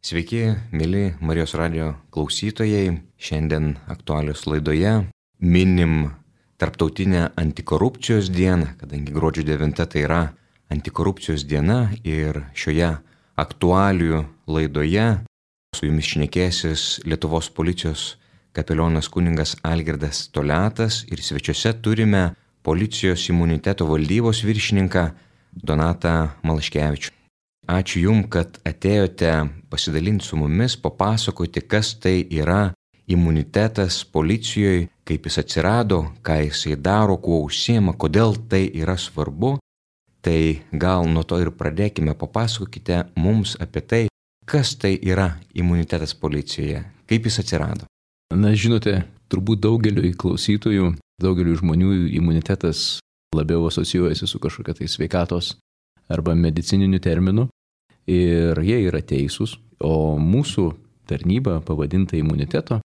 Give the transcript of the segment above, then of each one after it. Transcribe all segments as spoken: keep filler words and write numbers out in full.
Sveiki, mėly Marijos radijo klausytojai. Šiandien aktualios laidoje minim Tarptautinę antikorupcijos dieną, kadangi gruodžio devinta tai yra antikorupcijos diena ir šioje aktualių laidoje su jumis šnekėsis Lietuvos policijos kapelionas kunigas Algirdas Toliatas ir svečiuose turime policijos imuniteto valdybos viršininką Donatą Malaškevičių. Ačiū Jums, kad atėjote pasidalinti su mumis, papasakoti, kas tai yra imunitetas policijoje, kaip jis atsirado, ką jisai daro, kuo užsiema, kodėl tai yra svarbu. Tai gal nuo to ir pradėkime, papasakokite mums apie tai, kas tai yra imunitetas policijoje, kaip jis atsirado. Na, žinote, turbūt daugeliu klausytojų, daugeliu žmonių imunitetas labiau asocijuojasi su kažkokia tai sveikatos arba medicininiu terminu ir jie yra teisūs, o mūsų tarnyba pavadinta imuniteto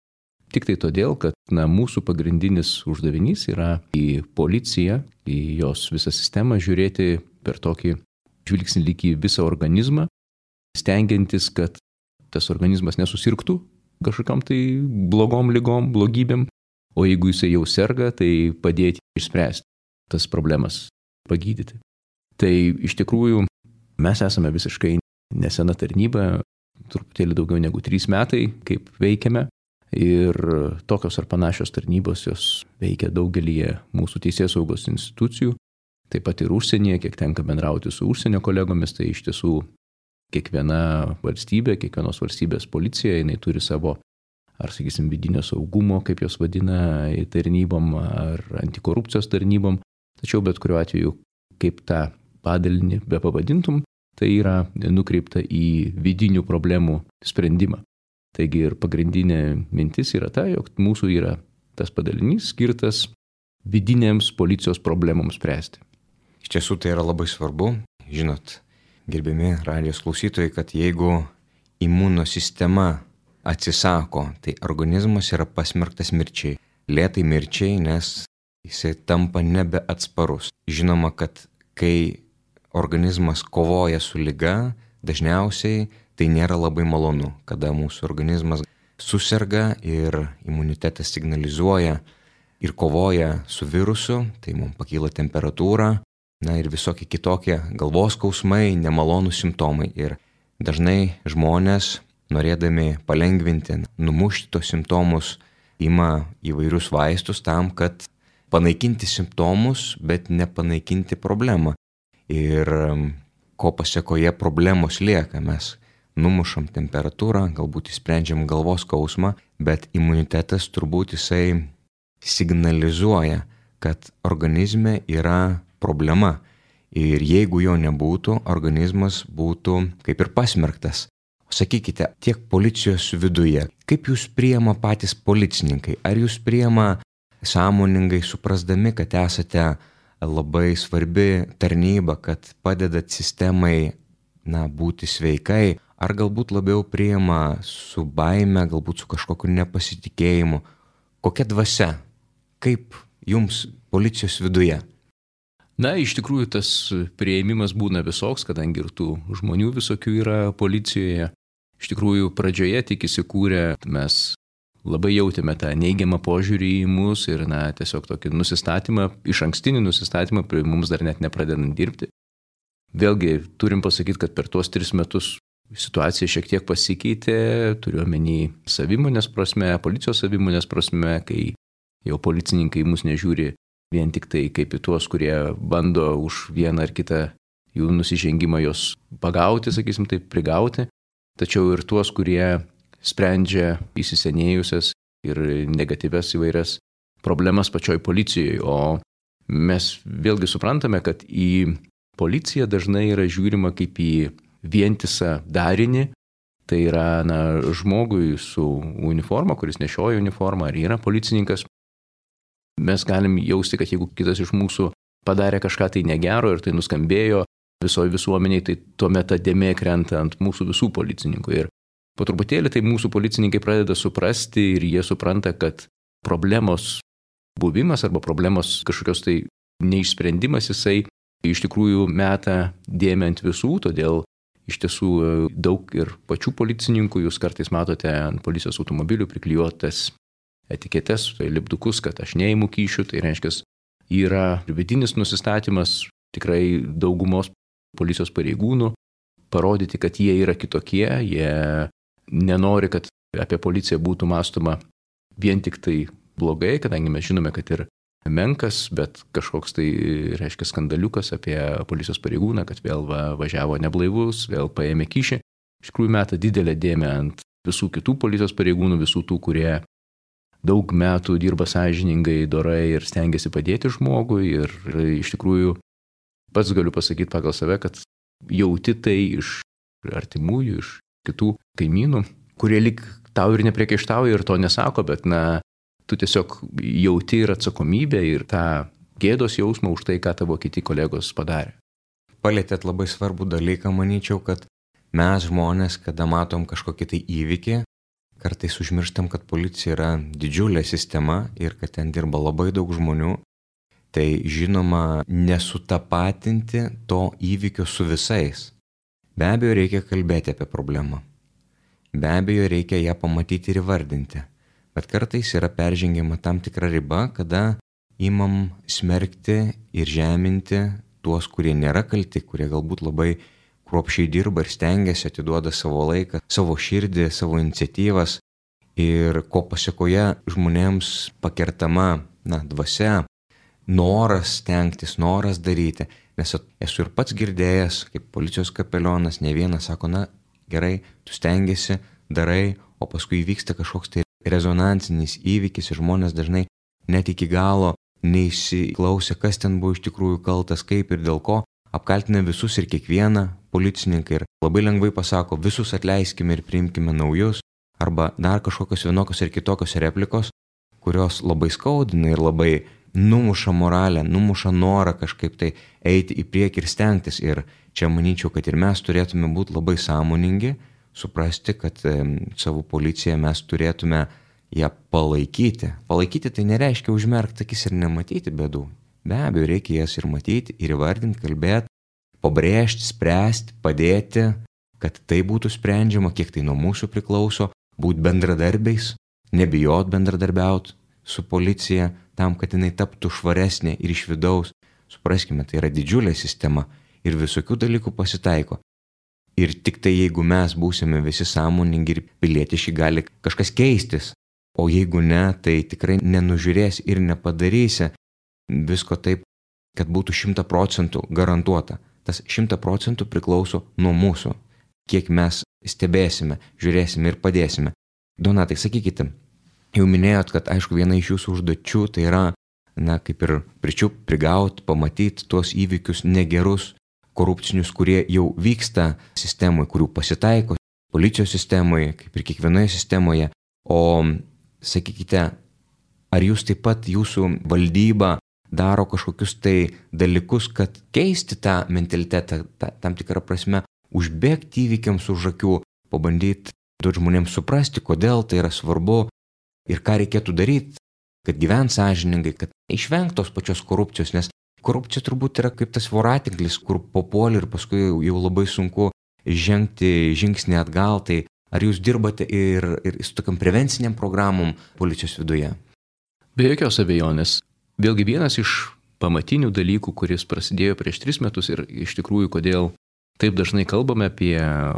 tik tai todėl, kad na, mūsų pagrindinis uždavinys yra į policiją, į jos visą sistemą žiūrėti per tokį žvilgsnį lyg į visą organizmą, stengiantis, kad tas organizmas nesusirgtų kažkokiam tai blogom ligom, blogybėm, o jeigu jisai jau serga, tai padėti išspręsti tas problemas, pagydyti. Tai iš tikrųjų mes esame visiškai nesena tarnyba, truputėlį daugiau negu trys metai, kaip veikiame. Ir tokios ar panašios tarnybos jos veikia daugelį mūsų teisėsaugos institucijų, taip pat ir užsienyje, kiek tenka bendrauti su užsienio kolegomis, tai iš tiesų kiekviena valstybė, kiekvienos valstybės policija, jinai turi savo, ar sakysim, vidinio saugumo, kaip jos vadina, tarnybom, ar antikorupcijos tarnybom, tačiau bet kuriuo atveju, kaip tą padalinį be pavadintum, tai yra nukreipta į vidinių problemų sprendimą. Taigi ir pagrindinė mintis yra ta, jog mūsų yra tas padalinys skirtas vidinėms policijos problemoms spręsti. Iš tiesų tai yra labai svarbu. Žinot, gerbiami radijos klausytojai, kad jeigu imunosistema atsisako, tai organizmas yra pasmerktas mirčiai. Lėtai mirčiai, nes jisai tampa nebeatsparus. Žinoma, kad kai organizmas kovoja su liga, dažniausiai tai nėra labai malonu, kada mūsų organizmas suserga ir imunitetas signalizuoja ir kovoja su virusu, tai mums pakyla temperatūra, na ir visokie kitokie galvos skausmai, nemalonūs simptomai. Ir dažnai žmonės, norėdami palengvinti, numušti tos simptomus, ima įvairius vaistus tam, kad panaikinti simptomus, bet nepanaikinti problemą. Ir ko pasekoje problemos lieka, mes numušam temperatūrą, galbūt įsprendžiam galvos skausmą, bet imunitetas turbūt jisai signalizuoja, kad organizme yra problema. Ir jeigu jo nebūtų, organizmas būtų kaip ir pasmerktas. Sakykite, tiek policijos viduje, kaip jūs priima patys policininkai? Ar jūs priima sąmoningai suprasdami, kad esate labai svarbi tarnyba, kad padedat sistemai na, būti sveikai, ar galbūt labiau priima su baime, galbūt su kažkokiu nepasitikėjimu? Kokia dvasia? Kaip jums policijos viduje? Na, iš tikrųjų tas priėmimas būna visoks, kadangi ir tų žmonių visokių yra policijoje. Iš tikrųjų pradžioje tik įsikūrę mes labai jautėme tą neigiamą požiūrį į mus ir na, tiesiog tokį nusistatymą, iš ankstinį nusistatymą, prie mums dar net nepradedant dirbti. Vėlgi turim pasakyti, kad per tuos tris metus situacija šiek tiek pasikeitė, turiu omeny savimonės prasme, policijos savimonės prasme, kai jau policininkai mus nežiūri vien tik tai kaip į tuos, kurie bando už vieną ar kitą jų nusižengimą jos pagauti, sakysim taip, prigauti, tačiau ir tuos, kurie sprendžia įsisenėjusias ir negatyvias įvairias problemas pačioj policijoje. O mes vėlgi suprantame, kad į policiją dažnai yra žiūrima kaip į vientisą darinį, tai yra na, žmogui su uniforma, kuris nešioja uniformą ar yra policininkas. Mes galim jausti, kad jeigu kitas iš mūsų padarė kažką tai negero ir tai nuskambėjo visoje visuomeniai, tai tuomet ta dėmė krenta ant mūsų visų policininkų. Ir po truputėlį tai mūsų policininkai pradeda suprasti ir jie supranta, kad problemos buvimas arba problemos kažkokios tai neišsprendimas jisai iš tikrųjų meta dėmę ant visų, todėl iš tiesų daug ir pačių policininkų, jūs kartais matote ant policijos automobilių priklijuotas etiketes, tai lipdukus, kad aš neimu kyšių, tai reiškia, yra vidinis nusistatymas tikrai daugumos policijos pareigūnų parodyti, kad jie yra kitokie, jie nenori, kad apie policiją būtų mąstoma vien tik tai blogai, kadangi mes žinome, kad ir menkas, bet kažkoks tai reiškia skandaliukas apie policijos pareigūną, kad vėl va, važiavo neblaivus, vėl paėmė kyšį. Iš tikrųjų meta didelę dėmę ant visų kitų policijos pareigūnų, visų tų, kurie daug metų dirba sąžiningai, dorai ir stengiasi padėti žmogui. Ir iš tikrųjų pats galiu pasakyti pagal save, kad jauti tai iš artimųjų, iš kitų kaimynų, kurie lyg tau ir nepriekaištauja ir to nesako, bet na, tu tiesiog jauti ir atsakomybę ir tą gėdos jausmą už tai, ką tavo kiti kolegos padarė. Palėtėt labai svarbų dalyką, manyčiau, kad mes žmonės, kada matom kažkokį tai įvykį, kartais užmirštam, kad policija yra didžiulė sistema ir kad ten dirba labai daug žmonių. Tai žinoma, nesutapatinti to įvykio su visais. Be abejo, reikia kalbėti apie problemą. Be abejo, reikia ją pamatyti ir įvardinti. Bet kartais yra peržengiama tam tikra riba, kada imam smerkti ir žeminti tuos, kurie nėra kalti, kurie galbūt labai kruopščiai dirba ir stengiasi, atiduoda savo laiką, savo širdį, savo iniciatyvas ir ko pasiekoje žmonėms pakertama, na, dvasia, noras stengtis, noras daryti. Nes esu ir pats girdėjęs, kaip policijos kapelionas, ne vienas sako, na, gerai, tu stengiasi, darai, o paskui įvyksta kažkoks tai rezonansinis įvykis ir žmonės dažnai net iki galo neįsiklausė, kas ten buvo iš tikrųjų kaltas, kaip ir dėl ko, apkaltina visus ir kiekvieną policininką ir labai lengvai pasako, visus atleiskime ir priimkime naujus, arba dar kažkokios vienokios ir kitokios replikos, kurios labai skaudina ir labai numuša moralę, numuša norą kažkaip tai eiti į priekį ir stengtis. Ir čia manyčiau, kad ir mes turėtume būti labai sąmoningi, suprasti, kad e, savo policiją mes turėtume ją palaikyti. Palaikyti tai nereiškia užmerkti akis ir nematyti bėdų. Be abejo, reikia jas ir matyti, ir įvardinti, kalbėti, pabrėžti, spręsti, padėti, kad tai būtų sprendžiama, kiek tai nuo mūsų priklauso, būti bendradarbiais, nebijot bendradarbiauti su policija, tam, kad jinai taptų švaresnė ir iš vidaus. Supraskime, tai yra didžiulė sistema ir visokių dalykų pasitaiko. Ir tik tai jeigu mes būsime visi sąmoningi ir pilietiški, gali kažkas keistis. O jeigu ne, tai tikrai nenužiūrės ir nepadarysi visko taip, kad būtų šimta procentų garantuota. Tas šimta procentų priklauso nuo mūsų. Kiek mes stebėsime, žiūrėsime ir padėsime. Donatai, sakykite, jau minėjot, kad aišku viena iš jūsų užduočių tai yra, na, kaip ir pričiup, prigaut, pamatyti tuos įvykius negerus, korupcinius, kurie jau vyksta sistemoje, kurių pasitaiko policijos sistemoje, kaip ir kiekvienoje sistemoje. O sakykite, ar jūs taip pat jūsų valdyba daro kažkokius tai dalykus, kad keisti tą mentalitetą, tą, tam tikrą prasme, užbėgti įvykiams už akių, pabandyti duoti žmonėms suprasti, kodėl tai yra svarbu ir ką reikėtų daryti, kad gyvent sąžiningai, kad išvengtos pačios korupcijos, nes korupcija turbūt yra kaip tas voratinklis, kur papuoli ir paskui jau labai sunku žengti žingsnį atgal. Tai ar jūs dirbate ir, ir su tokiam prevenciniam programom policijos viduje? Be jokios abejonės. Vėlgi vienas iš pamatinių dalykų, kuris prasidėjo prieš tris metus ir iš tikrųjų, kodėl taip dažnai kalbame apie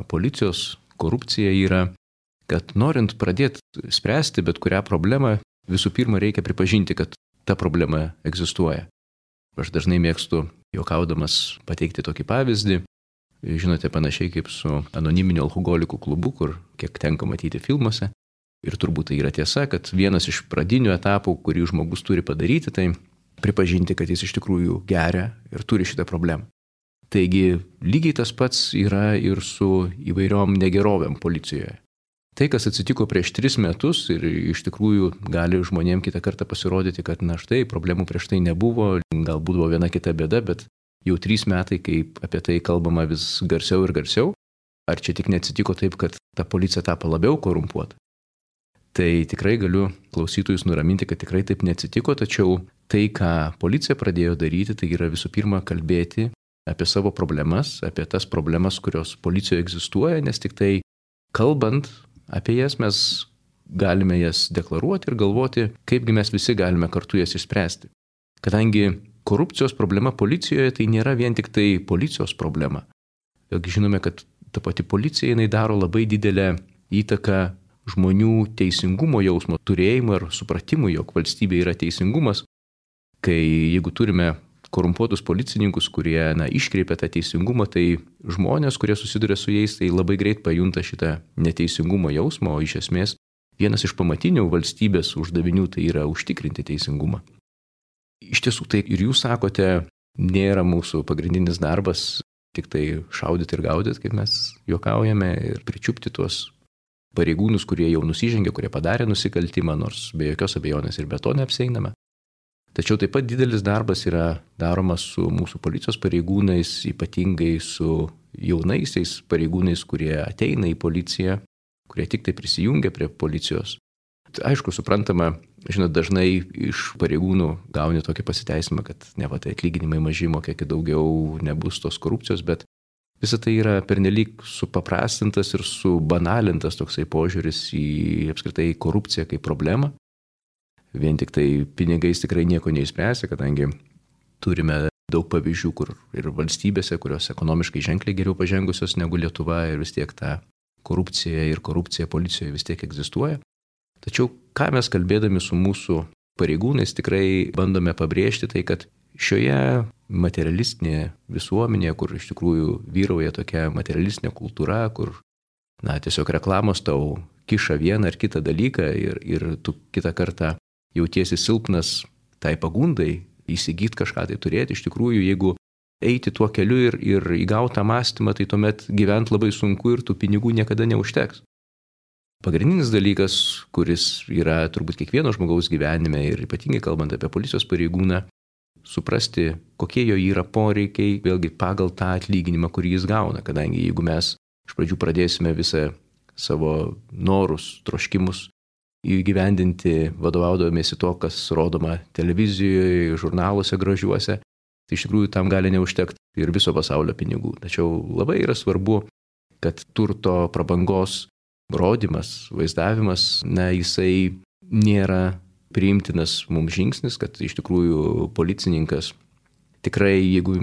policijos korupciją, yra, kad norint pradėti spręsti bet kurią problemą, visų pirma reikia pripažinti, kad ta problema egzistuoja. Aš dažnai mėgstu, juokaudamas, pateikti tokį pavyzdį. Žinote, panašiai kaip su anoniminiu alkoholikų klubu, kur kiek tenka matyti filmuose. Ir turbūt tai yra tiesa, kad vienas iš pradinių etapų, kurį žmogus turi padaryti, tai pripažinti, kad jis iš tikrųjų geria ir turi šitą problemą. Taigi lygiai tas pats yra ir su įvairiom negerovėm policijoje. Tai, kas atsitiko prieš tris metus ir iš tikrųjų gali žmonėm kitą kartą pasirodyti, kad na štai, problemų prieš tai nebuvo, galbūt buvo viena kita bėda, bet jau trys metai, kaip apie tai kalbama vis garsiau ir garsiau, ar čia tik neatsitiko taip, kad ta policija tapo labiau korumpuota? Tai tikrai galiu klausytojus nuraminti, kad tikrai taip neatsitiko, tačiau tai, ką policija pradėjo daryti, tai yra visų pirma kalbėti apie savo problemas, apie tas problemas, kurios policijoje egzistuoja, nes tik tai kalbant apie jas mes galime jas deklaruoti ir galvoti, kaipgi mes visi galime kartu jas išspręsti. Kadangi korupcijos problema policijoje tai nėra vien tik tai policijos problema. Vėlgi žinome, kad ta pati policija jinai daro labai didelę įtaką žmonių teisingumo jausmo turėjimo ir supratimui, jog valstybė yra teisingumas. Kai jeigu turime korumpuotus policininkus, kurie na, iškreipia tą teisingumą, tai žmonės, kurie susiduria su jais, tai labai greit pajunta šitą neteisingumo jausmą, o iš esmės vienas iš pamatinių valstybės uždavinių tai yra užtikrinti teisingumą. Iš tiesų, tai ir jūs sakote, nėra mūsų pagrindinis darbas tik tai šaudyti ir gaudyti, kaip mes juokaujame, ir pričiupti tuos pareigūnus, kurie jau nusižengė, kurie padarė nusikaltimą, nors be jokios abejonės ir be to neapsieiname. Tačiau taip pat didelis darbas yra daromas su mūsų policijos pareigūnais, ypatingai su jaunaisiais pareigūnais, kurie ateina į policiją, kurie tik tai prisijungia prie policijos. Aišku, suprantama, žinot, dažnai iš pareigūnų gauni tokį pasiteisimą, kad ne va tai atlyginimai maži, mokėkit daugiau, nebus tos korupcijos, bet visa tai yra pernelyg supaprastintas ir subanalintas toksai požiūris į apskritai korupciją kaip problemą. Vien tik tai pinigais tikrai nieko neišspręsia, kadangi turime daug pavyzdžių, kur ir valstybėse, kurios ekonomiškai ženkliai geriau pažengusios negu Lietuva, ir vis tiek ta korupcija ir korupcija policijoje vis tiek egzistuoja. Tačiau ką mes kalbėdami su mūsų pareigūnais tikrai bandome pabrėžti, tai kad šioje materialistinėje visuomenėje, kur iš tikrųjų vyrauja tokia materialistinė kultūra, kur na, tiesiog reklamos tau kiša vieną ar kitą dalyką ir, ir tu kitą kartą jautiesi silpnas tai pagundai įsigyti kažką tai turėti. Iš tikrųjų, jeigu eiti tuo keliu ir, ir įgautą mąstymą, tai tuomet gyventi labai sunku ir tų pinigų niekada neužteks. Pagrindinis dalykas, kuris yra turbūt kiekvieno žmogaus gyvenime ir ypatingai kalbant apie policijos pareigūną, suprasti, kokie jo yra poreikiai, vėlgi pagal tą atlyginimą, kurį jis gauna. Kadangi jeigu mes iš pradžių pradėsime visą savo norus, troškimus įgyvendinti vadovaudamiesi to, kas rodoma televizijoje, žurnaluose gražiuose, tai iš tikrųjų tam gali neužtekti ir viso pasaulio pinigų. Tačiau labai yra svarbu, kad turto prabangos rodymas, vaizdavimas, na, jisai nėra priimtinas mums žingsnis, kad iš tikrųjų policininkas tikrai, jeigu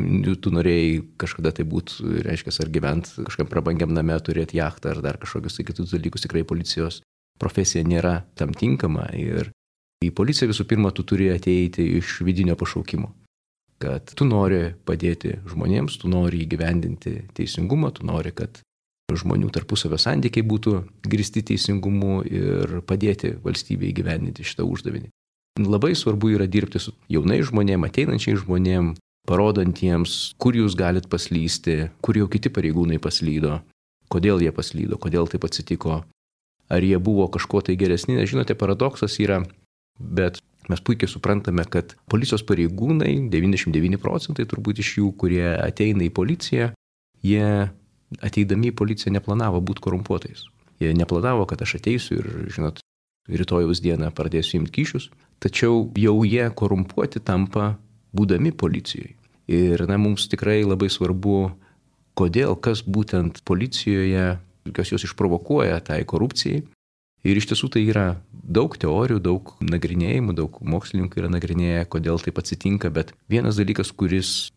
tu norėjai kažkada tai būt, reiškia, ar gyventi kažkam prabangiam name, turėti jachtą ar dar kažkokius tai kitus dalykus, tikrai policijos profesija nėra tam tinkama. Ir į policiją visų pirma tu turi ateiti iš vidinio pašaukimo, kad tu nori padėti žmonėms, tu nori įgyvendinti teisingumą, tu nori, kad žmonių tarpusavio santykiai būtų grįsti teisingumu ir padėti valstybei įgyvendinti šitą uždavinį. Labai svarbu yra dirbti su jaunais žmonėm, ateinančiais žmonėm, parodantiems, kur jūs galit paslysti, kur jau kiti pareigūnai paslydo, kodėl jie paslydo, kodėl taip atsitiko, ar jie buvo kažko tai geresni. Žinote, paradoksas yra, bet mes puikiai suprantame, kad policijos pareigūnai, devyniasdešimt devyni procentai turbūt iš jų, kurie ateina į policiją, jie ateidami į policiją neplanavo būti korumpuotais. Jie neplanavo, kad aš ateisiu ir, žinot, rytojaus dieną pradėsiu imti kyšius, tačiau jau jie korumpuoti tampa būdami policijoje. Ir na, mums tikrai labai svarbu, kodėl, kas būtent policijoje, kas jos išprovokuoja tai korupcijai. Ir iš tiesų tai yra daug teorijų, daug nagrinėjimų, daug mokslininkų yra nagrinėję, kodėl taip atsitinka, bet vienas dalykas, kuris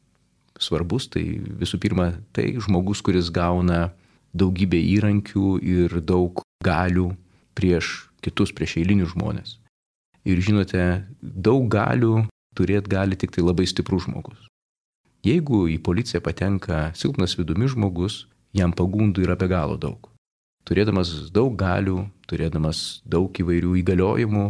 svarbus, tai visų pirma, tai žmogus, kuris gauna daugybę įrankių ir daug galių prieš kitus, prieš eilinius žmonės. Ir žinote, daug galių turėti gali tik tai labai stiprus žmogus. Jeigu į policiją patenka silpnas vidumi žmogus, jam pagundų yra be galo daug. Turėdamas daug galių, turėdamas daug įvairių įgaliojimų,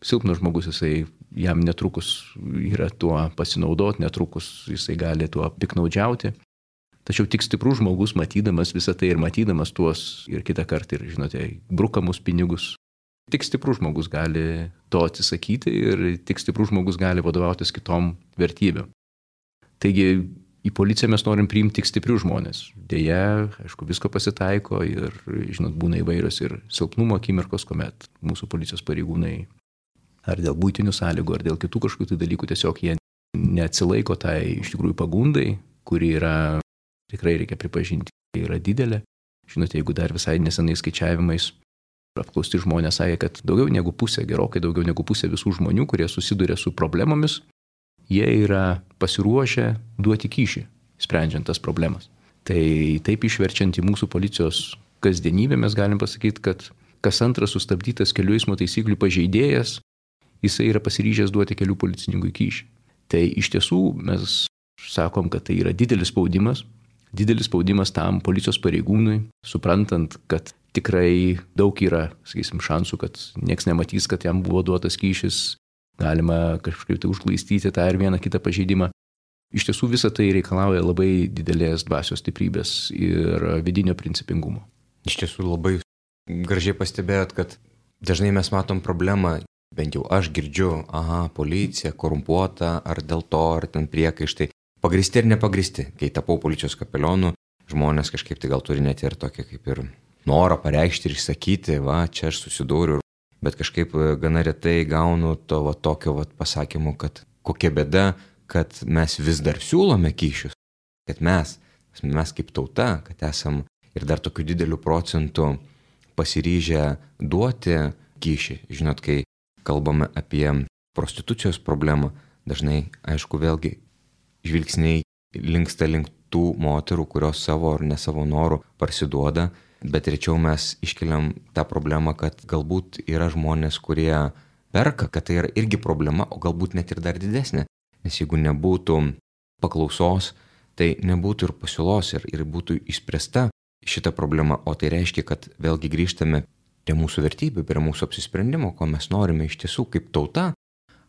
silpnas žmogus, jisai jam netrukus yra tuo pasinaudoti, netrukus jisai gali tuo piknaudžiauti. Tačiau tik stiprus žmogus, matydamas visą tai ir matydamas tuos ir kitą kartą ir, žinote, brukamus pinigus, tik stiprus žmogus gali to atsisakyti ir tik stiprus žmogus gali vadovautis kitom vertybėm. Taigi, į policiją mes norim priimti tik stiprius žmonės. Deja, aišku, visko pasitaiko ir, žinot, būna įvairios ir silpnumo akimirkos, kuomet mūsų policijos pareigūnai ar dėl būtinių sąlygų, ar dėl kitų kažkokių tai dalykų tiesiog jie neatsilaiko tai iš tikrųjų pagundai kuri yra, tikrai reikia pripažinti, yra didelė. Žinote, jeigu dar visai nesenai skaičiavimais apklausti žmonės sakė, kad daugiau negu pusė, gerokai daugiau negu pusė visų žmonių, kurie susiduria su problemomis, jie yra pasiruošę duoti kyšį, sprendžiant tas problemas. Tai taip išverčiant į mūsų policijos kasdienybę mes galim pasakyti, kad kas antras sustabdytas kelių eismo taisyklių pažeidėjas, jisai yra pasiryžęs duoti kelių policininkui kyšį. Tai iš tiesų mes sakom, kad tai yra didelis spaudimas, didelis spaudimas tam policijos pareigūnui, suprantant, kad tikrai daug yra, sakysim, šansų, kad nieks nematys, kad jam buvo duotas kyšis, galima kažkaip tai užglaistyti tą ir vieną kitą pažeidimą. Iš tiesų visą tai reikalauja labai didelės dvasios stiprybės ir vidinio principingumo. Iš tiesų labai gražiai pastebėjot, kad dažnai mes matom problemą, bent jau aš girdžiu, aha, policija korumpuota, ar dėl to, ar ten priekaištai, pagristi ir nepagristi. Kai tapau policijos kapelionu, žmonės kažkaip tai gal turi net ir tokia kaip ir norą pareikšti ir išsakyti, va, čia aš susidūriu, bet kažkaip gana retai gaunu to va, tokio va, pasakymo, kad kokia bėda, kad mes vis dar siūlome kyšius, kad mes, mes kaip tauta, kad esam ir dar tokiu dideliu procentu pasiryžę duoti kyšį. Žinot, kai kalbame apie prostitucijos problemą, dažnai, aišku, vėlgi žvilgsniai linksta link tų moterų, kurios savo ar ne savo norų parsiduoda, bet rečiau mes iškeliam tą problemą, kad galbūt yra žmonės, kurie perka, kad tai yra irgi problema, o galbūt net ir dar didesnė. Nes jeigu nebūtų paklausos, tai nebūtų ir pasiūlos ir, ir būtų išspręsta šita problema, o tai reiškia, kad vėlgi grįžtame prie mūsų vertybių, prie mūsų apsisprendimo, ko mes norime iš tiesų kaip tauta,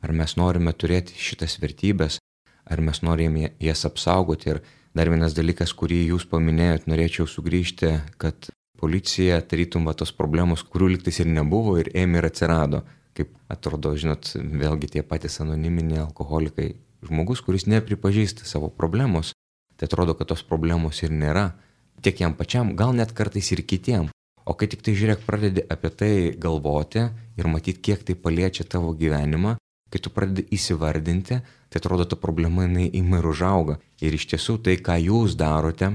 ar mes norime turėti šitas vertybės, ar mes norime jas apsaugoti. Ir dar vienas dalykas, kurį jūs paminėjot, norėčiau sugrįžti, kad policija tarytum va tos problemos, kurių liktais ir nebuvo ir ėmė ir atsirado. Kaip atrodo, žinot, vėlgi tie patys anoniminiai alkoholikai. Žmogus, kuris nepripažįsta savo problemos, tai atrodo, kad tos problemos ir nėra. Tiek jam pačiam, gal net kartais ir kitiem. O kai tik tai žiūrėk, pradedi apie tai galvoti ir matyti, kiek tai paliečia tavo gyvenimą, kai tu pradedi įsivardinti, tai atrodo, ta problema jinai ima ir užauga. Ir iš tiesų tai, ką jūs darote,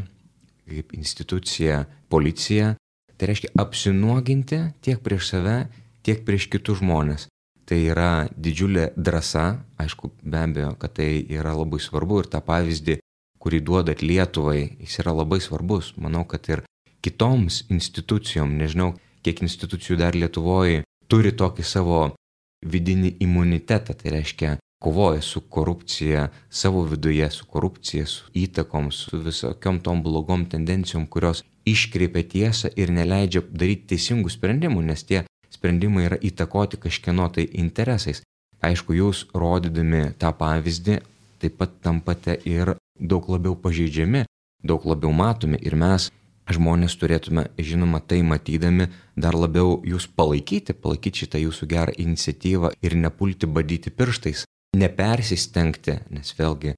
kaip institucija, policija, tai reiškia apsinuoginti tiek prieš save, tiek prieš kitus žmonės. Tai yra didžiulė drąsa, aišku, be abejo, kad tai yra labai svarbu ir tą pavyzdį, kurį duodat Lietuvai, jis yra labai svarbus. Manau, kad ir kitoms institucijom, nežinau, kiek institucijų dar Lietuvoje turi tokį savo vidinį imunitetą, tai reiškia kovoja su korupcija savo viduje, su korupcija, su įtakom, su visokiom tom blogom tendencijom, kurios iškreipia tiesą ir neleidžia daryti teisingų sprendimų, nes tie sprendimai yra įtakoti kažkieno tai interesais. Aišku, jūs rodydami tą pavyzdį taip pat tampate ir daug labiau pažeidžiami, daug labiau matomi ir mes, žmonės, turėtume, žinoma, tai matydami dar labiau jūs palaikyti, palaikyti šitą jūsų gerą iniciatyvą ir nepulti badyti pirštais, nepersistengti, nes vėlgi,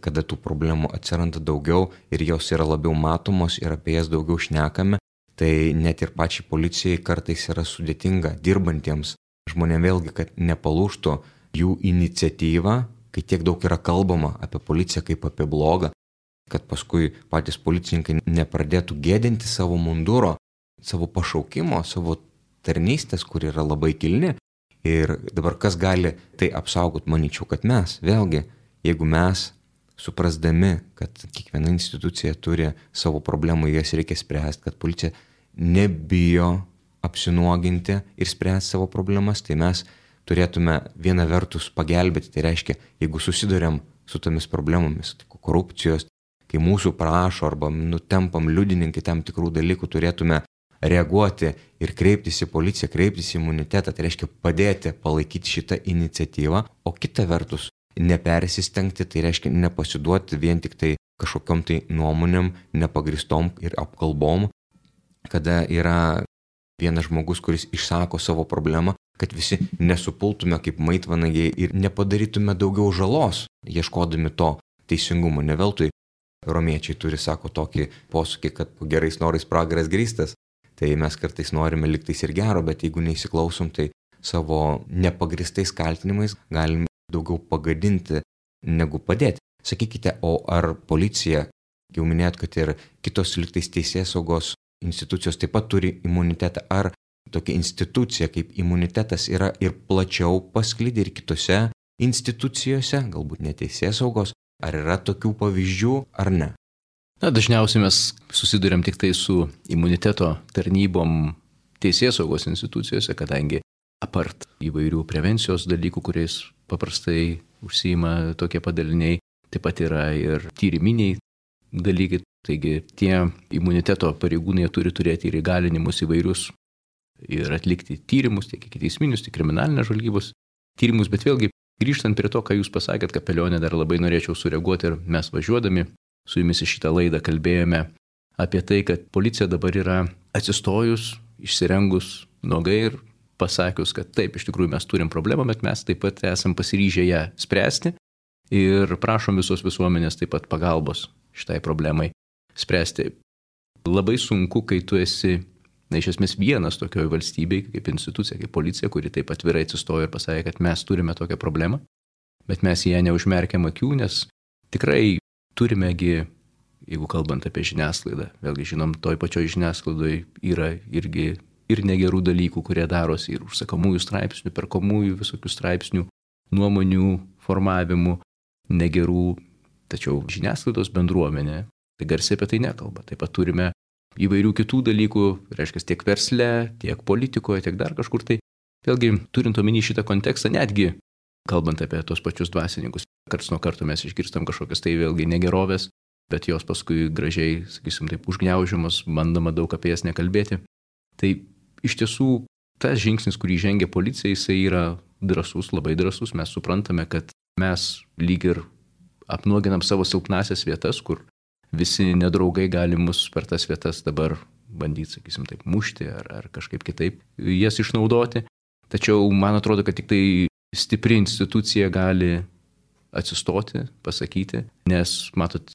kada tų problemų atsiranda daugiau ir jos yra labiau matomos ir apie jas daugiau šnekame, tai net ir pačiai policijai kartais yra sudėtinga dirbantiems žmonėms vėlgi, kad nepalūžtų jų iniciatyva, kai tiek daug yra kalbama apie policiją kaip apie blogą, kad paskui patys policininkai nepradėtų gėdinti savo munduro, savo pašaukimo, savo tarnystės, kur yra labai kilni. Ir dabar kas gali tai apsaugot, manyčiau, kad mes, vėlgi, jeigu mes suprasdami, kad kiekviena institucija turi savo problemų, jas reikia spręsti, kad policija nebijo apsinuoginti ir spręsti savo problemas, tai mes turėtume viena vertus pagelbėti, tai reiškia, jeigu susiduriam su tomis problemomis, korupcijos, kai mūsų prašo arba nutempam liudininkai tam tikrų dalykų, turėtume reaguoti ir kreiptis į policiją, kreiptis į imunitetą, tai reiškia padėti palaikyti šitą iniciatyvą, o kita vertus nepersistengti, tai reiškia nepasiduoti vien tik tai kažkokiom tai nuomonėm, nepagristom ir apkalbom, kada yra vienas žmogus, kuris išsako savo problemą, kad visi nesupultume kaip maitvanagiai ir nepadarytume daugiau žalos, ieškodami to teisingumo. Ne veltui romiečiai turi, sako, tokį posakį, kad gerais norais pragaras grįstas. Tai mes kartais norime liktais ir gero, bet jeigu neįsiklausom, tai savo nepagristais kaltinimais galim daugiau pagadinti negu padėti. Sakykite, o ar policija, jau minėt, kad ir kitos lygtais teisės saugos institucijos taip pat turi imunitetą, ar tokia institucija kaip imunitetas yra ir plačiau pasklidę ir kitose institucijose, galbūt ne teisės saugos, ar yra tokių pavyzdžių, ar ne? Na, dažniausiai mes susidurėm tik tai su imuniteto tarnybom teisės saugos institucijose, kadangi apart įvairių prevencijos dalykų, kuriais paprastai užsiima tokie padaliniai, taip pat yra ir tyriminiai dalykai. Taigi tie imuniteto pareigūnai turi turėti ir įgalinimus įvairius ir atlikti tyrimus, tiek ikiteisminius, tiek kriminalinės žvalgybos tyrimus. Bet vėlgi, grįžtant prie to, ką jūs pasakėt, kapelionė, dar labai norėčiau sureaguoti, ir mes važiuodami su jumis į šitą laidą kalbėjome apie tai, kad policija dabar yra atsistojus, išsirengus nuogai ir pasakius, kad taip, iš tikrųjų mes turim problemą, bet mes taip pat esam pasiryžę ją spręsti ir prašom visos visuomenės taip pat pagalbos šitai problemai spręsti. Labai sunku, kai tu esi, na, iš esmės vienas tokioje valstybėje, kaip institucija, kaip policija, kuri taip atvirai atsistojo ir pasakė, kad mes turime tokią problemą, bet mes į ją neužmerkiam akių, nes tikrai turimegi, jeigu kalbant apie žiniasklaidą, vėlgi žinom, toj pačioj žiniasklaidoje yra irgi ir negerų dalykų, kurie darosi ir užsakomųjų straipsnių, perkomųjų visokių straipsnių, nuomonių formavimų, negerų, tačiau žiniasklaidos bendruomenė tai garsiai apie tai nekalba. Taip pat turime įvairių kitų dalykų, reiškia tiek versle, tiek politikoje, tiek dar kažkur tai. Vėlgi, turint omeny šitą kontekstą, netgi kalbant apie tos pačius dvasininkus, karts nuo karto mes išgirstam kažkokias tai vėlgi negerovės, bet jos paskui gražiai, sakysim, taip užgniaužiamos, bandama daug apie jas nekalbėti. Tai iš tiesų tas žingsnis, kurį žengia policija, jisai yra drąsus, labai drąsus. Mes suprantame, kad mes lyg ir apnuoginam savo silpnasias vietas, kur visi nedraugai gali mus per tas vietas dabar bandyti, sakysim, taip mušti ar, ar kažkaip kitaip jas išnaudoti. Tačiau man atrodo, kad tik tai stipri institucija gali atsistoti, pasakyti, nes matot,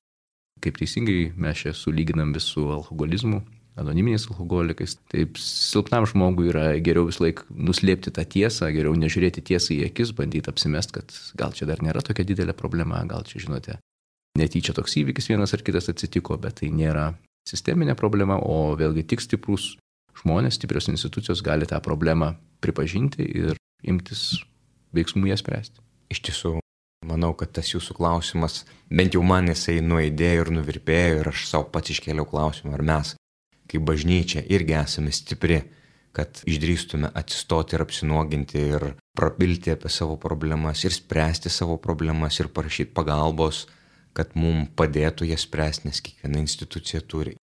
kaip teisingai mes čia sulyginam vis su alkoholizmu, anoniminiais alkoholikais. Taip, silpnam žmogui yra geriau vis laik nuslėpti tą tiesą, geriau nežiūrėti tiesą į akis, bandyti apsimest, kad gal čia dar nėra tokia didelė problema, gal čia, žinote, netyčia toks įvykis vienas ar kitas atsitiko, bet tai nėra sisteminė problema, o vėlgi tik stiprus žmonės, stiprios institucijos gali tą problemą pripažinti ir imtis veiksmų ją spręsti. Iš tiesų, manau, kad tas jūsų klausimas, bent jau man jisai nuaidėjo ir nuvirpėjo ir aš savo pats iškėliau klausimą, ar mes, kaip bažnyčia, irgi esame stipri, kad išdrįstume atsistoti ir apsinuoginti ir prabilti apie savo problemas ir spręsti savo problemas ir parašyti pagalbos, kad mums padėtų jas spręsti, nes kiekviena institucija turi.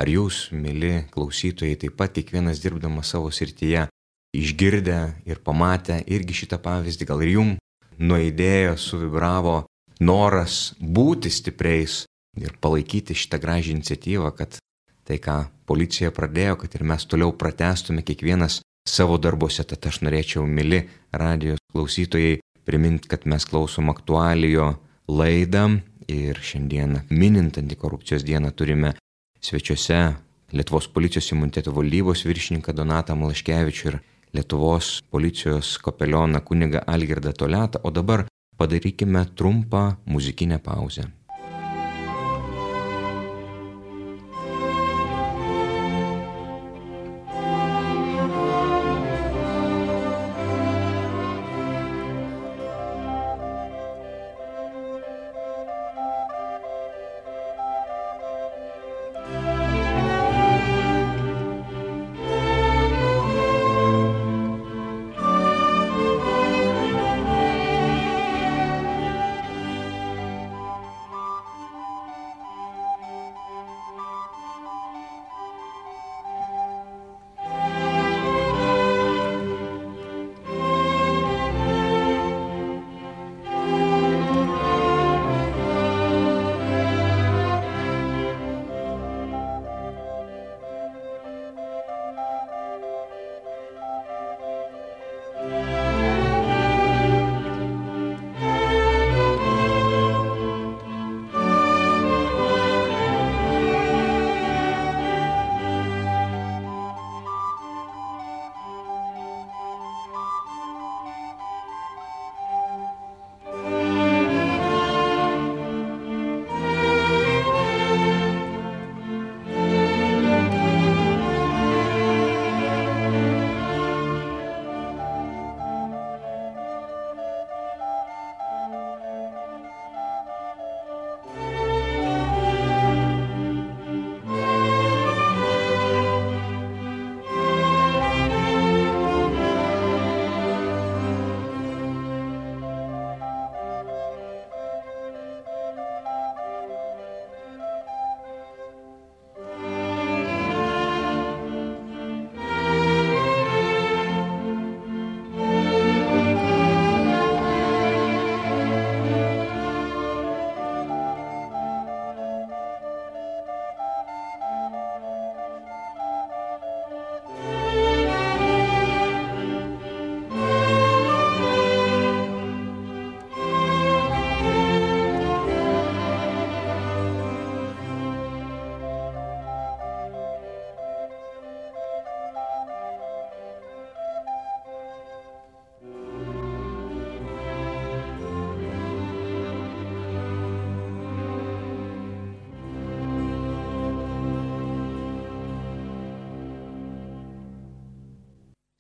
Ar jūs, mėly klausytojai, taip pat kiekvienas dirbdamas savo srityje, išgirdę ir pamatę irgi šitą pavyzdį, gal ir jums nuaidėjo, suvibravo noras būti stipriais ir palaikyti šitą gražią iniciatyvą, kad tai, ką policija pradėjo, kad ir mes toliau pratęstume kiekvienas savo darbuose. Tad aš norėčiau, mėly radijos klausytojai, priminti, kad mes klausom aktualijo laidą ir šiandien minint antikorupcijos dieną turime svečiuose Lietuvos policijos imuniteto valdybos viršininką Donatą Malaškevičių ir Lietuvos policijos kapelioną kunigą Algirdą Toliatą, o dabar padarykime trumpą muzikinę pauzę.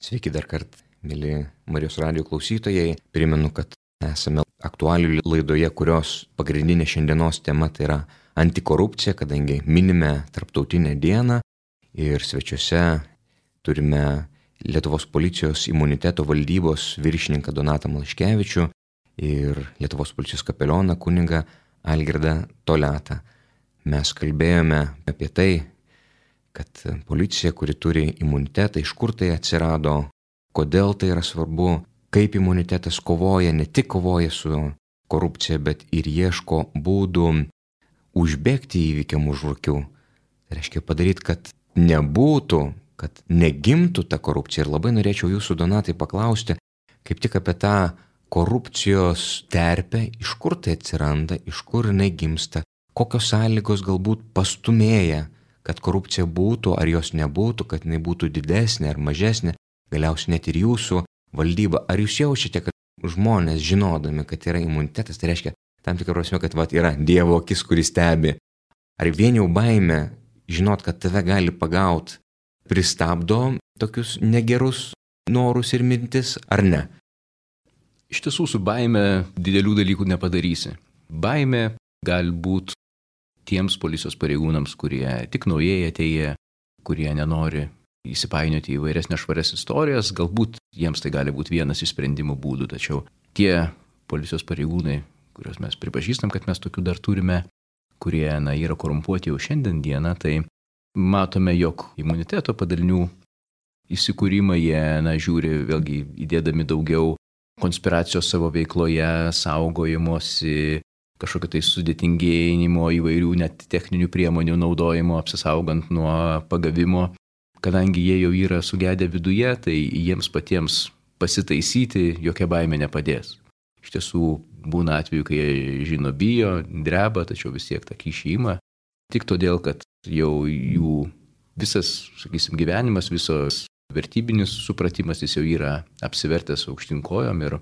Sveiki dar kartą, mėly Marijos radijo klausytojai. Primenu, kad esame aktualių laidoje, kurios pagrindinė šiandienos tema tai yra antikorupcija, kadangi minime tarptautinę dieną ir svečiuose turime Lietuvos policijos imuniteto valdybos viršininką Donatą Malaškevičių ir Lietuvos policijos kapelioną kunigą Algirdą Toliatą. Mes kalbėjome apie tai, kad policija, kuri turi imunitetą, iš kur tai atsirado, kodėl tai yra svarbu, kaip imunitetas kovoja, ne tik kovoja su korupcija, bet ir ieško būdų užbėgti įvykiam už akių. Tai reiškia padaryti, kad nebūtų, kad negimtų ta korupcija. Ir labai norėčiau jūsų, Donatai, paklausti kaip tik apie tą korupcijos terpę, iš kur tai atsiranda, iš kur jinai gimsta, kokios sąlygos galbūt pastumėja, kad korupcija būtų, ar jos nebūtų, kad jinai būtų didesnė ar mažesnė, galiausiai net ir jūsų valdyba. Ar jūs jaučiate, kad žmonės žinodami, kad yra imunitetas, tai reiškia tam tikrą prasme, kad vat, yra Dievo akis, kuris stebi. Ar vien jau baimė žinot, kad tave gali pagauti, pristabdo tokius negerus norus ir mintis, ar ne? Iš tiesų su baime didelių dalykų nepadarysi. Baimė gali būti tiems policijos pareigūnams, kurie tik naujai atėję, kurie nenori įsipainioti į vairias nešvarias istorijas, galbūt jiems tai gali būti vienas iš sprendimų būdų, tačiau tie policijos pareigūnai, kuriuos mes pripažįstam, kad mes tokių dar turime, kurie na, yra korumpuoti jau šiandien dieną, tai matome, jog imuniteto padalinių įsikūrimą jie na, žiūri vėlgi įdėdami daugiau konspiracijos savo veikloje, saugojimuose, kažkokio tai sudėtingėjimo, įvairių net techninių priemonių naudojimo, apsisaugant nuo pagavimo. Kadangi jie jau yra sugedę viduje, tai jiems patiems pasitaisyti jokia baimė nepadės. Iš tiesų būna atveju, kai jie žino bijo, dreba, tačiau vis tiek tą kyšį ima. Tik todėl, kad jau jų visas, sakysim, gyvenimas, visos vertybinis supratimas jis jau yra apsivertęs aukštyn kojom ir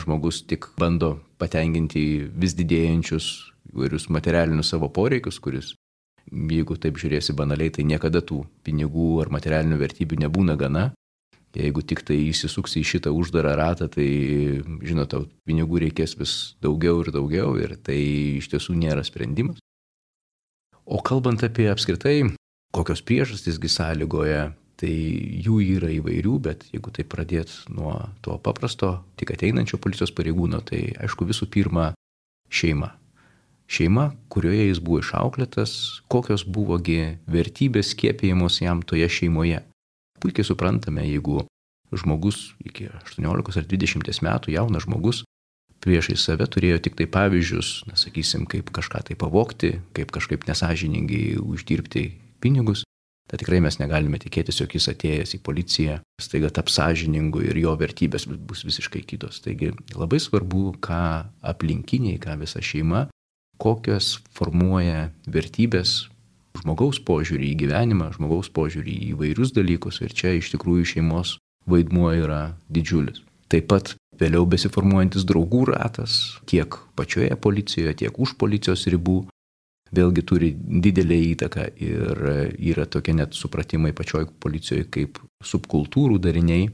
žmogus tik bando patenkinti vis didėjančius įvairius materialinius savo poreikius, kuris, jeigu taip žiūrėsi banaliai, tai niekada tų pinigų ar materialinių vertybių nebūna gana. Jeigu tik tai įsisuksi į šitą uždarą ratą, tai, žinot, tau pinigų reikės vis daugiau ir daugiau ir tai iš tiesų nėra sprendimas. O kalbant apie apskritai, kokios priežastysgi sąlygoja, tai jų yra įvairių, bet jeigu tai pradėt nuo to paprasto, tik ateinančio policijos pareigūno, tai aišku visų pirma šeima. Šeima, kurioje jis buvo išauklėtas, kokios buvogi vertybės skiepijamos jam toje šeimoje. Puikiai suprantame, jeigu žmogus iki aštuoniolikos ar dvidešimties metų, jaunas žmogus, priešai save turėjo tik tai pavyzdžius, na, sakysim, kaip kažką tai pavogti, kaip kažkaip nesąžiningai uždirbti pinigus, tai tikrai mes negalime tikėtis, jog jis atėjęs į policiją staiga taps sąžiningu ir jo vertybės bus visiškai kitos. Taigi labai svarbu, ką aplinkiniai, ką visa šeima, kokios formuoja vertybės, žmogaus požiūrį į gyvenimą, žmogaus požiūrį į įvairius dalykus ir čia iš tikrųjų šeimos vaidmuo yra didžiulis. Taip pat vėliau besiformuojantis draugų ratas, tiek pačioje policijoje, tiek už policijos ribų, vėlgi turi didelę įtaką ir yra tokie net supratimai pačioj policijoje kaip subkultūrų dariniai,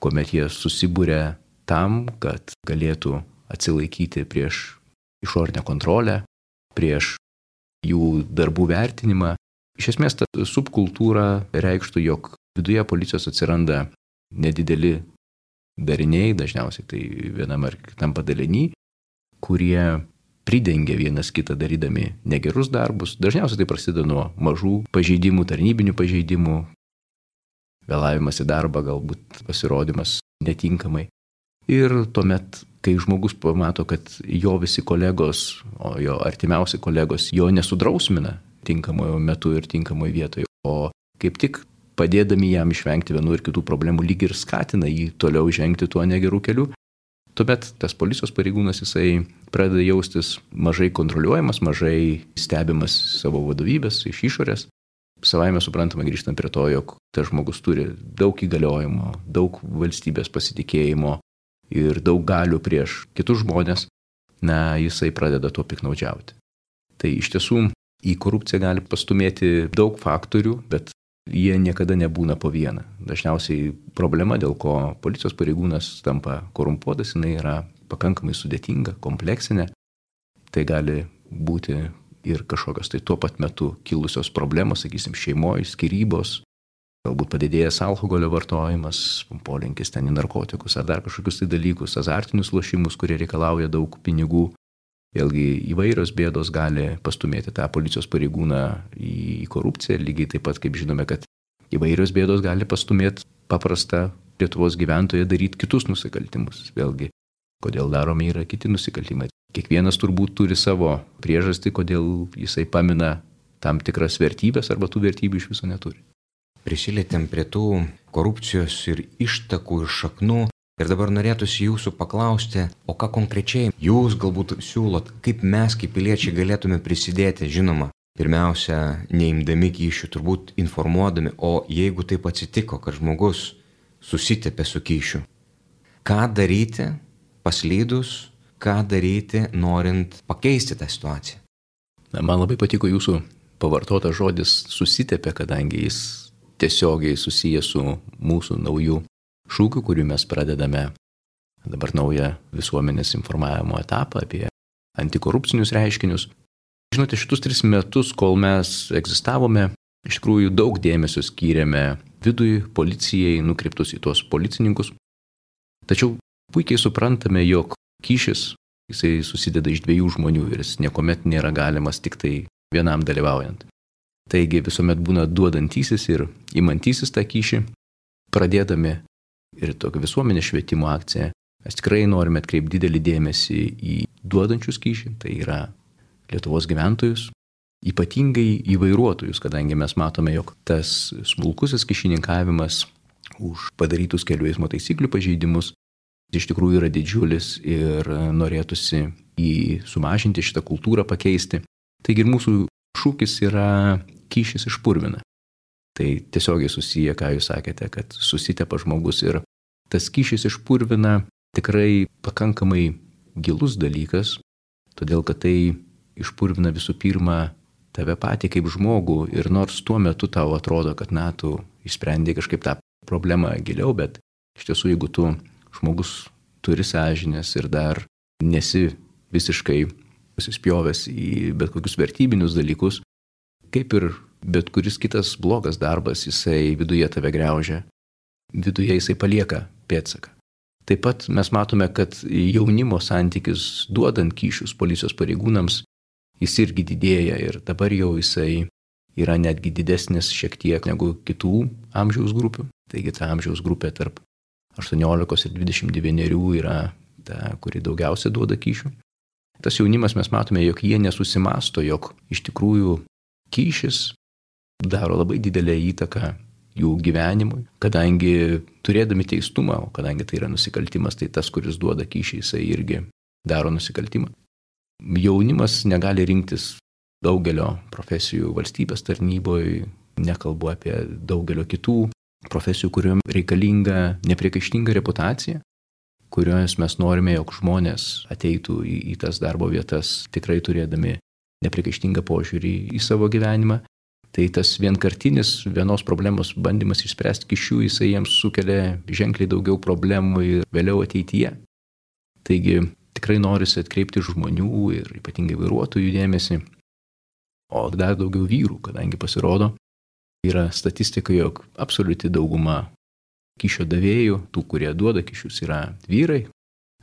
kuomet jie susibūrė tam, kad galėtų atsilaikyti prieš išorinę kontrolę, prieš jų darbų vertinimą. Iš esmės, ta subkultūra reikštų, jog viduje policijos atsiranda nedideli dariniai, dažniausiai tai vienam ar kitam padalinį, kurie pridengia vienas kitą darydami negerus darbus. Dažniausiai tai prasideda nuo mažų pažeidimų, tarnybinių pažeidimų, vėlavimas į darbą, galbūt pasirodymas netinkamai. Ir tuomet, kai žmogus pamato, kad jo visi kolegos, o jo artimiausi kolegos jo nesudrausmina tinkamojo metu ir tinkamoje vietoje, o kaip tik padėdami jam išvengti vienų ir kitų problemų, lyg ir skatina jį toliau žengti tuo negerų keliu, tuomet tas policijos pareigūnas jisai pradeda jaustis mažai kontroliuojamas, mažai stebimas savo vadovybės iš išorės. Savaime suprantama grįžtant prie to, jog tas žmogus turi daug įgaliojimo, daug valstybės pasitikėjimo ir daug galių prieš kitus žmonės, na, jisai pradeda tuo piknaudžiauti. Tai iš tiesų į korupciją gali pastumėti daug faktorių, bet jie niekada nebūna po vieną. Dažniausiai problema, dėl ko policijos pareigūnas tampa korumpuotas, jinai yra pakankamai sudėtinga, kompleksinė. Tai gali būti ir kažkokios tai tuo pat metu kilusios problemos, sakysim, šeimoje, skyrybos, galbūt padidėjęs alkoholio vartojimas, polinkis ten į narkotikus ar dar kažkokius tai dalykus, azartinius lošimus, kurie reikalauja daug pinigų. Vėlgi įvairios bėdos gali pastumėti tą policijos pareigūną į korupciją, lygiai taip pat kaip žinome, kad įvairios bėdos gali pastumėti paprastą Lietuvos gyventoją daryti kitus nusikaltimus. Vėlgi, kodėl daromi yra kiti nusikaltimai. Kiekvienas turbūt turi savo priežastį, kodėl jisai pamina tam tikras vertybės arba tų vertybių iš viso neturi. Prisilietėm prie tų korupcijos ir ištakų ir šaknų. Ir dabar norėtųsi jūsų paklausti, o ką konkrečiai jūs galbūt siūlot, kaip mes kaip piliečiai galėtume prisidėti, žinoma, pirmiausia, neimdami kyšių, turbūt informuodami, o jeigu taip atsitiko, kad žmogus susitepė su kyšiu, ką daryti paslydus, ką daryti norint pakeisti tą situaciją? Na, man labai patiko jūsų pavartotas žodis susitepė, kadangi jis tiesiogiai susijęs su mūsų naujų šūkiu, kurį mes pradedame dabar naują visuomenės informavimo etapą apie antikorupcinius reiškinius. Žinote, šitus tris metus, kol mes egzistavome, iš tikrųjų daug dėmesio skyrėme vidui, policijai, nukreiptus į tuos policininkus. Tačiau puikiai suprantame, jog kyšis, jisai susideda iš dviejų žmonių ir jis niekuomet nėra galimas tik tai vienam dalyvaujant. Taigi visuomet būna duodantysis ir imantysis tą kyšį. Pradėdami ir tokią visuomenės švietimo akciją, mes tikrai norime atkreipti didelį dėmesį į duodančius kyšį, tai yra Lietuvos gyventojus, ypatingai į vairuotojus, kadangi mes matome, jog tas smulkusis kyšininkavimas už padarytus kelių eismo taisyklių pažeidimus iš tikrųjų yra didžiulis ir norėtųsi jį sumažinti, šitą kultūrą pakeisti. Taigi ir mūsų šūkis yra kyšis išpurvina. Tai tiesiogiai susiję, ką jūs sakėte, kad susitepa žmogus ir tas kyšis išpurvina tikrai pakankamai gilus dalykas, todėl kad tai išpurvina visų pirma tave patį kaip žmogų ir nors tuo metu tau atrodo, kad na, tu išsprendė kažkaip tą problemą giliau, bet iš tiesų, jeigu tu žmogus turi sąžinės ir dar nesi visiškai pasispjovęs į bet kokius vertybinius dalykus, kaip ir bet kuris kitas blogas darbas, jisai viduje tave griaužia, viduje jisai palieka pėdsaką. Taip pat mes matome, kad jaunimo santykis duodant kyšius policijos pareigūnams, jis irgi didėja ir dabar jau jisai yra netgi didesnis šiek tiek negu kitų amžiaus grupių. Taigi ta amžiaus grupė tarp aštuoniolikos ir dvidešimt devynerių yra ta, kuri daugiausia duoda kyšių. Tas jaunimas mes matome, jog jie nesusimasto, jog iš tikrųjų kyšis daro labai didelę įtaką jų gyvenimui, kadangi turėdami teistumą, o kadangi tai yra nusikaltimas, tai tas, kuris duoda kyšį, jisai irgi daro nusikaltimą. Jaunimas negali rinktis daugelio profesijų valstybės tarnyboje, nekalbu apie daugelio kitų profesijų, kuriuom reikalinga nepriekaištinga reputacija, kurios mes norime, jog žmonės ateitų į, į tas darbo vietas tikrai turėdami nepriekaištingą požiūrį į savo gyvenimą. Tai tas vienkartinis vienos problemos bandymas išspręsti kyšių, jisai jiems sukelia ženkliai daugiau problemų ir vėliau ateityje. Taigi tikrai norisi atkreipti žmonių ir ypatingai vairuotojų dėmesį, o dar daugiau vyrų, kadangi pasirodo, yra statistika, jog absoliuti dauguma kyšio davėjų, tų, kurie duoda kyšius, yra vyrai.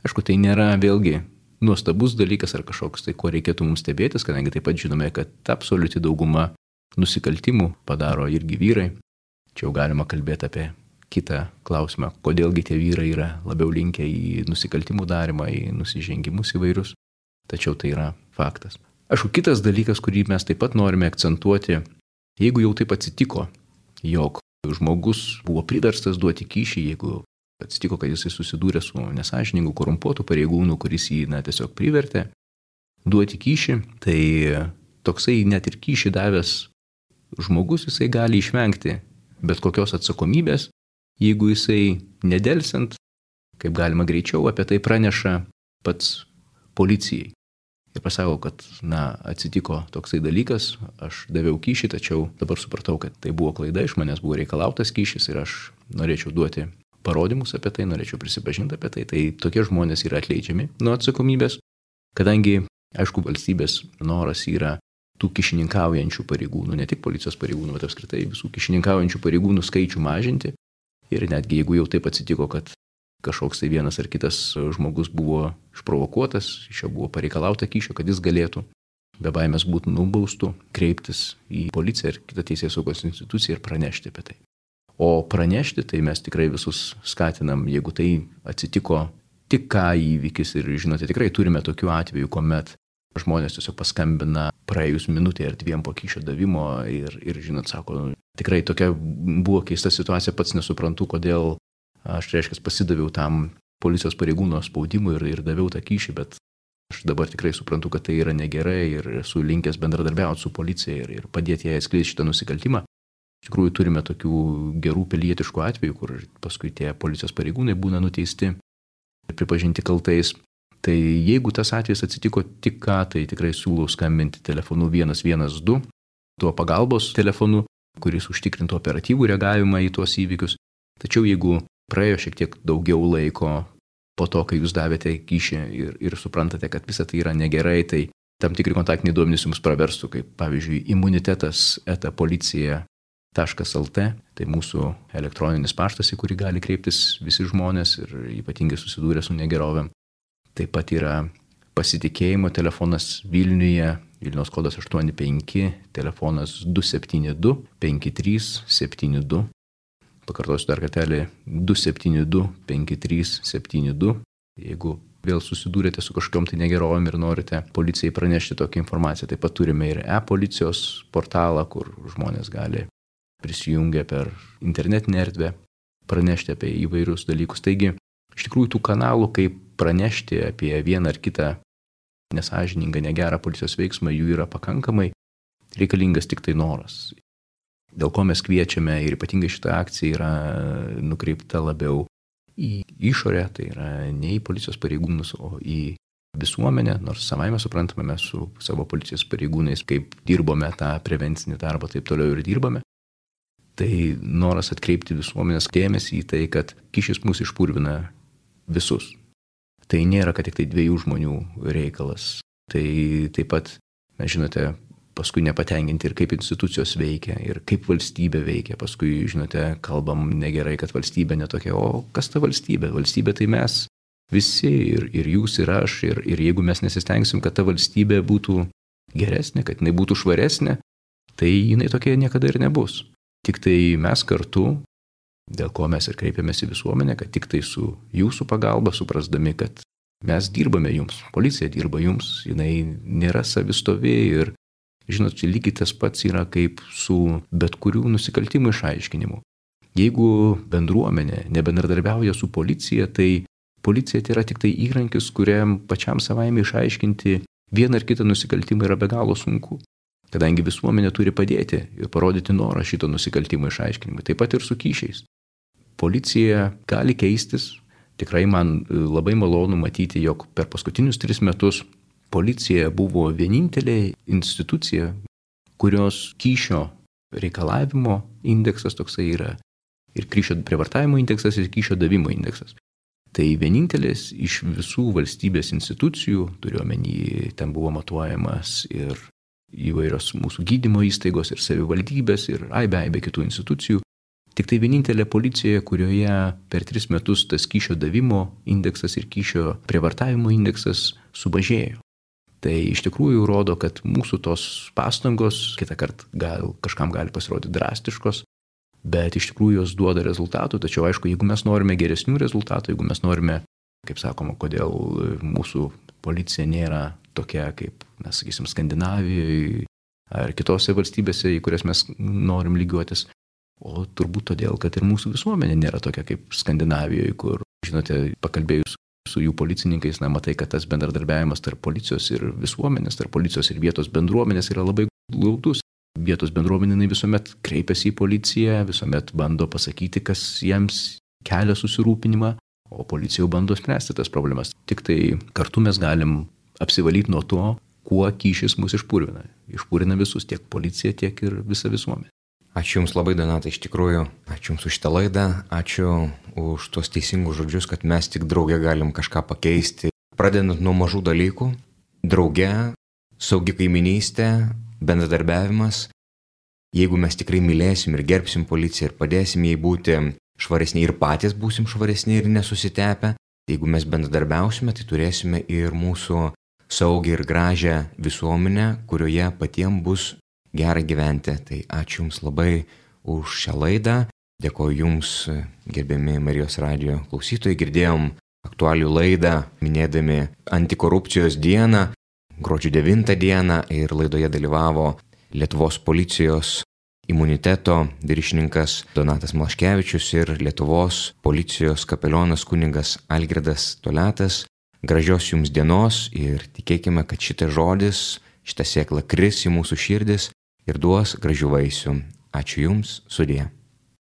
Aišku, tai nėra vėlgi nuostabus dalykas ar kažkoks, tai ko reikėtų mums stebėtis, kadangi taip pat žinome, kad absoliuti dauguma nusikaltimų padaro irgi vyrai. Čia jau galima kalbėti apie kitą klausimą, kodėlgi tie vyrai yra labiau linkę į nusikaltimų darymą, į nusižengimus įvairius. Tačiau tai yra faktas. Aišku, kitas dalykas, kurį mes taip pat norime akcentuoti, jeigu jau taip atsitiko, jog žmogus buvo priverstas duoti kyšį, jeigu atsitiko, kad jisai susidūrė su nesąžiningu, korumpuotu pareigūnu, kuris jį na, tiesiog privertė duoti kyšį, tai toksai net ir kyšį davęs žmogus, jisai gali išvengti bet kokios atsakomybės, jeigu jisai nedelsiant, kaip galima greičiau, apie tai praneša pats policijai. ir pasako, kad, na, atsitiko toksai dalykas, aš daviau kyšį, tačiau dabar supratau, kad tai buvo klaida, iš manęs buvo reikalautas kyšis ir aš norėčiau duoti parodymus apie tai, norėčiau prisipažinti apie tai, tai tokie žmonės yra atleidžiami nuo atsakomybės, kadangi, aišku, valstybės noras yra tų kišininkaujančių pareigūnų, ne tik policijos pareigūnų, bet apskritai visų kišininkaujančių pareigūnų skaičių mažinti. Ir netgi jeigu jau taip atsitiko, kad kažkoks tai vienas ar kitas žmogus buvo išprovokuotas, iš jo buvo pareikalauta kyšio, kad jis galėtų be baimės būti nubaustų, kreiptis į policiją ir kitą teisės saugos instituciją ir pranešti apie tai. O pranešti, tai mes tikrai visus skatinam, jeigu tai atsitiko tik ką įvykis ir, žinote, tikrai turime tokių atvejų, kuomet žmonės tiesiog paskambina praėjus minutė ar dviem po kyšio davimo ir, ir, žinot, sako, tikrai tokia buvo keista situacija, pats nesuprantu, kodėl aš, reiškia, pasidaviau tam policijos pareigūno spaudimui ir, ir daviau tą kyšį, bet aš dabar tikrai suprantu, kad tai yra negerai ir esu linkęs bendradarbiauti su policija ir, ir padėti jai atskleisti šitą nusikaltimą. Iš tikrųjų turime tokių gerų pilietiškų atvejų, kur paskui tie policijos pareigūnai būna nuteisti ir pripažinti kaltais. Tai jeigu tas atvejis atsitiko tik ką, tai tikrai siūlau skambinti telefonu vienas vienas du, tuo pagalbos telefonu, kuris užtikrintų operatyvų reagavimą į tuos įvykius. Tačiau jeigu praėjo šiek tiek daugiau laiko po to, kai jūs davėte kyšį ir, ir suprantate, kad visa tai yra negerai, tai tam tikri kontaktiniai duomenys jums praverstų, kaip pavyzdžiui imunitetas eta policija taškas lt, tai mūsų elektroninis paštas, į kurį gali kreiptis visi žmonės ir ypatingai susidūrę su negerovėm. Taip pat yra pasitikėjimo telefonas Vilniuje, Vilniaus kodas aštuoni penki, telefonas du septyni du penki trys septyni du. Pakartosiu dar kartelį du septyni du penki trys septyni du. Jeigu vėl susidūrėte su kažkokiom tai negerovėm ir norite policijai pranešti tokią informaciją, taip pat turime ir e-policijos portalą, kur žmonės gali prisijungę per internetinę erdvę pranešti apie įvairius dalykus. Taigi, iš tikrųjų, tų kanalų, kaip pranešti apie vieną ar kitą nesąžiningą, negerą policijos veiksmą, jų yra pakankamai, reikalingas tik tai noras. Dėl ko mes kviečiame ir ypatingai šita akcija yra nukreipta labiau į išorę, tai yra ne į policijos pareigūnus, o į visuomenę, nors savaime suprantame mes su savo policijos pareigūnais, kaip dirbome tą prevencinį darbą, taip toliau ir dirbame. Tai noras atkreipti visuomenės dėmesį į tai, kad kyšis mus išpurvina visus. Tai nėra, kad tik tai dviejų žmonių reikalas. Tai taip pat, mes žinote, paskui nepatenkinti ir kaip institucijos veikia, ir kaip valstybė veikia. Paskui, žinote, kalbam negerai, kad valstybė netokia, o kas ta valstybė? Valstybė tai mes visi, ir, ir jūs, ir aš, ir, ir jeigu mes nesistengsim, kad ta valstybė būtų geresnė, kad jinai būtų švaresnė, tai jinai tokia niekada ir nebus. Tik tai mes kartu, dėl ko mes ir kreipiamės į visuomenę, kad tik tai su jūsų pagalba, suprasdami, kad mes dirbame jums, policija dirba jums, jinai nėra savistovi ir, žinot, čia lygiai tas pats yra kaip su bet kurių nusikaltimų išaiškinimu. Jeigu bendruomenė nebendradarbiauja su policija, tai policija tai yra tik tai įrankis, kuriam pačiam savaime išaiškinti vieną ar kitą nusikaltimą yra be galo sunku. Kadangi visuomenė turi padėti ir parodyti norą šito nusikaltimo išaiškinimui, taip pat ir su kyšiais. Policija gali keistis, tikrai man labai malonu matyti, jog per paskutinius tris metus policija buvo vienintelė institucija, kurios kyšio reikalavimo indeksas toksai yra ir kyšio prievartavimo indeksas ir kyšio davimo indeksas. Tai vienintelis iš visų valstybės institucijų, turiuomenį, ten buvo matuojamas ir įvairios mūsų gydymo įstaigos ir savivaldybės ir aibė, aibė kitų institucijų. Tik tai vienintelė policija, kurioje per tris metus tas kyšio davimo indeksas ir kyšio prievartavimo indeksas sumažėjo. Tai iš tikrųjų rodo, kad mūsų tos pastangos kitą kartą gal, kažkam gali pasirodyti drastiškos, bet iš tikrųjų jos duoda rezultatų. Tačiau aišku, jeigu mes norime geresnių rezultatų, jeigu mes norime, kaip sakoma, kodėl mūsų policija nėra tokia kaip, mes sakysim, Skandinavijoje ar kitose valstybėse, į kurias mes norim lygiuotis, o turbūt todėl, kad ir mūsų visuomenė nėra tokia kaip Skandinavijoje, kur, žinote, pakalbėjus su jų policininkais, na, matai, kad tas bendradarbiavimas tarp policijos ir visuomenės, tarp policijos ir vietos bendruomenės yra labai glaudus. Vietos bendruomenė visuomet kreipiasi į policiją, visuomet bando pasakyti, kas jiems kelia susirūpinimą, o policija jau bando spręsti tas problemas. Tik tai kartu mes galim apsivalyti nuo to, kuo kyšis mus išpurvina. Išpurvina visus, tiek policiją, tiek ir visą visuomenę. Ačiū Jums labai, Donatai, iš tikrųjų. Ačiū Jums už šitą laidą. Ačiū už tuos teisingus žodžius, kad mes tik drauge galim kažką pakeisti. Pradedant nuo mažų dalykų. Drauge, saugi kaiminystė, bendradarbiavimas. Jeigu mes tikrai mylėsim ir gerbsim policiją ir padėsim jai būti švaresni ir patys būsim švaresni ir nesusitepę, jeigu mes bendradarbiausime, tai turėsime ir mūsų saugią ir gražią visuomenę, kurioje patiems bus gera gyventi. Tai ačiū Jums labai už šią laidą. Dėkoju Jums, gerbiami Marijos radijo klausytojai. Girdėjom aktualių laidą, minėdami antikorupcijos dieną, gruodžio devintą dieną, ir laidoje dalyvavo Lietuvos policijos imuniteto viršininkas Donatas Malaškevičius ir Lietuvos policijos kapelionas kunigas Algirdas Toliatas. Gražios Jums dienos ir tikėkime, kad šitas žodis, šita sėkla kris į mūsų širdis ir duos gražių vaisių. Ačiū Jums, sudie.